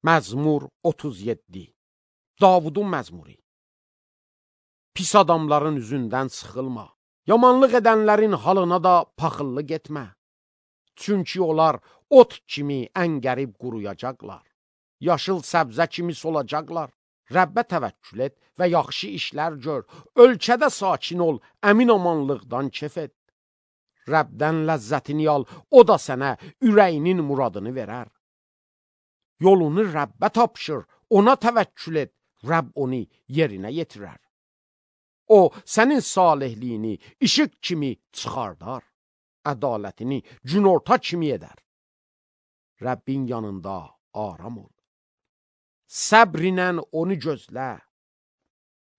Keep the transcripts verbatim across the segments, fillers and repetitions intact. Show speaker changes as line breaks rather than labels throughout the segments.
Məzmur otuz yeddi. Davudun məzmuri. Pis adamların üzündən sıxılma. Yamanlıq edənlərin halına da paxıllıq etmə. Çünki onlar ot kimi əngərib quruyacaqlar. Yaşıl səbzə kimi solacaqlar. Rəbbə təvəkkül et və yaxşı işlər gör. Ölkədə sakin ol, əmin amanlıqdan kef et. Rəbdən ləzzətini al, o da sənə ürəyinin muradını verər. Yolunu Rəbbə tapşır, ona təvəkkül et, Rəbb onu yerinə yetirər. O, sənin salihliyini işıq kimi çıxardar, ədalətini günorta kimi edər. Rəbbin yanında aram ol. Səbr ilə onu gözlə.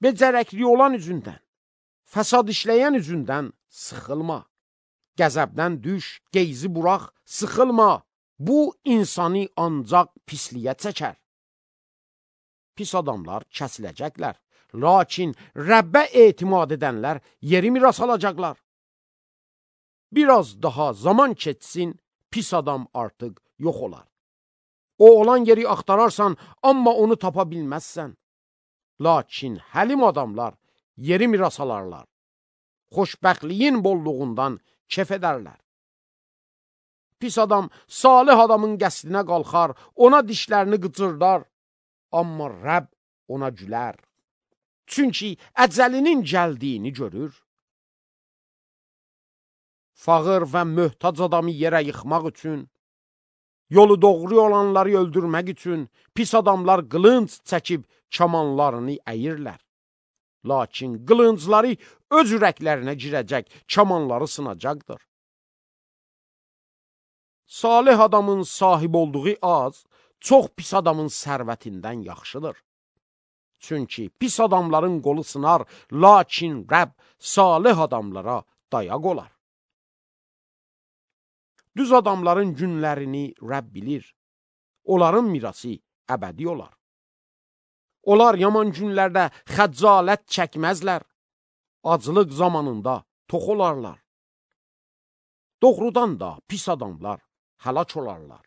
Becərəkli olan üzündən, fəsad işləyən üzündən sıxılma. Qəzəbdən düş, geyzi burax, sıxılma. Bu, insanı ancaq pisliyə çəkər. Pis adamlar kəsiləcəklər, lakin Rəbbə etimad edənlər yeri miras alacaqlar. Biraz daha zaman keçsin, pis adam artıq yox olar. O olan yeri axtararsan, amma onu tapa bilməzsən. Lakin həlim adamlar yeri miras alarlar. Xoşbəxtliyin bolluğundan kef edərlər. Pis adam salih adamın qəsdinə qalxar, ona dişlərini qıcırdar, amma Rəbb ona gülər. Çünki əcəlinin gəldiyini görür. Fağır və möhtac adamı yerə yıxmaq üçün, yolu doğru olanları öldürmək üçün pis adamlar qılınc çəkib kamanlarını əyirlər. Lakin qılıncları öz ürəklərinə girəcək, kamanları sınacaqdır. Salih adamın sahib olduğu az, çox pis adamın sərvətindən yaxşıdır. Çünki pis adamların qolu sınar, lakin Rəbb salih adamlara dayaq olar. Düz adamların günlərini Rəbb bilir. Onların mirası əbədi olar. Onlar yaman günlərdə xəcalət çəkməzlər. Aclıq zamanında tox olarlar. Doğrudan da pis adamlar həlak olarlar.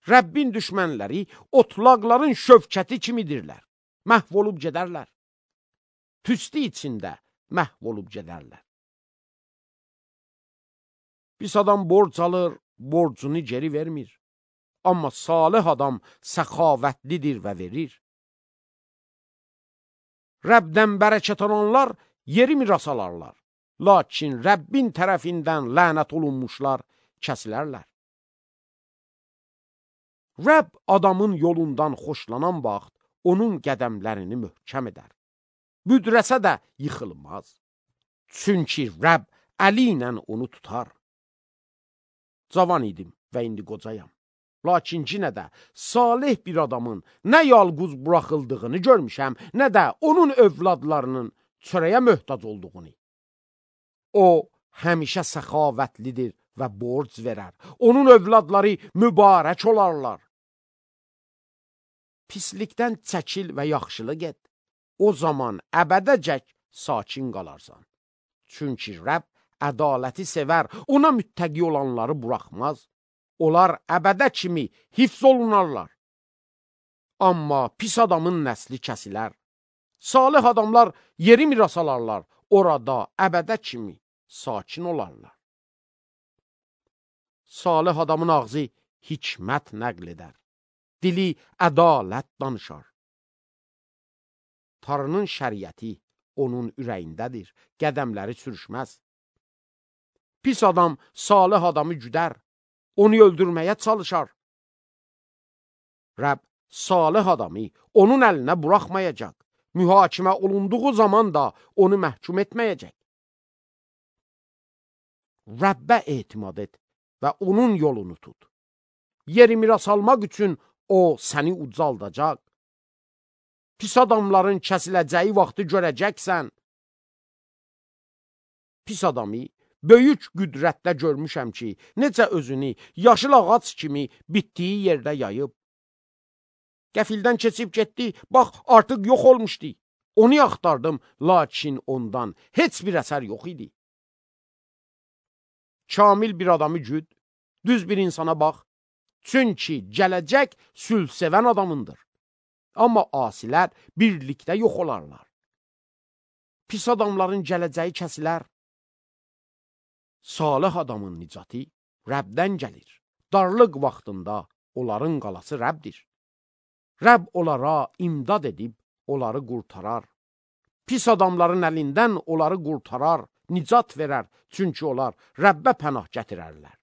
Rəbbin düşmənləri otlaqların şövkəti kimidirlər. Məhv olub gedərlər. Tüstü içində məhv olub gedərlər. Pis adam borc alır, borcunu geri vermir. Amma salih adam səxavətlidir və verir. Rəbdən bərəkət alanlar yeri miras alarlar. Lakin Rəbbin tərəfindən lənət olunmuşlar kəsilərlər. Rəbb adamın yolundan xoşlanan vaxt onun qədəmlərini möhkəm edər. Büdrəsə də yıxılmaz. Çünki Rəbb əli ilə onu tutar. Cavan idim və indi qocayam. Lakin yenə də salih bir adamın nə yalquz buraxıldığını görmüşəm, nə də onun övladlarının çörəyə möhtac olduğunu. O, həmişə səxavətlidir və borc verər. Onun övladları mübarək olarlar. Pislikdən çəkil və yaxşılıq et. O zaman əbədəcək sakin qalarsan. Çünki Rəbb ədaləti sevər, ona müttəqi olanları buraxmaz. Onlar əbədə kimi hifz olunarlar. Amma pis adamın nəsli kəsilər. Salih adamlar yeri miras alarlar, orada əbədə kimi sakin olarlar. Salih adamın ağzı hikmət nəql edər. Dili ədalət danışar. Tanrının şəriəti onun ürəyindədir, qədəmləri sürüşməz. Pis adam salih adamı güdər, onu öldürməyə çalışar. Rəbb salih adamı onun əlinə buraxmayacaq, mühakimə olunduğu zaman da onu məhkum etməyəcək. Rəbbə etimad et və onun yolunu tut. Yeri miras almaq üçün o səni ucaldacaq. Pis adamların kəsiləcəyi vaxtı görəcəksən. Pis adamı böyük qüdrətlə görmüşəm ki, necə özünü yaşıl ağac kimi bitdiyi yerdə yayıb. Qəfildən keçib getdi, bax artıq yox olmuşdu. Onu axtardım, lakin ondan heç bir əsər yox idi. Kamil bir adamı güd, düz bir insana bax, Çünki gələcək sülh sevən adamındır. Amma asilər birlikdə yox olarlar. Pis adamların gələcəyi kəsilər. Salih adamın nicatı Rəbdən gəlir. Darlıq vaxtında onların qalası Rəbdir. Rəbb onlara imdad edib onları qurtarar. Pis adamların əlindən onları qurtarar, nicat verər, çünki onlar Rəbbə pənah gətirərlər.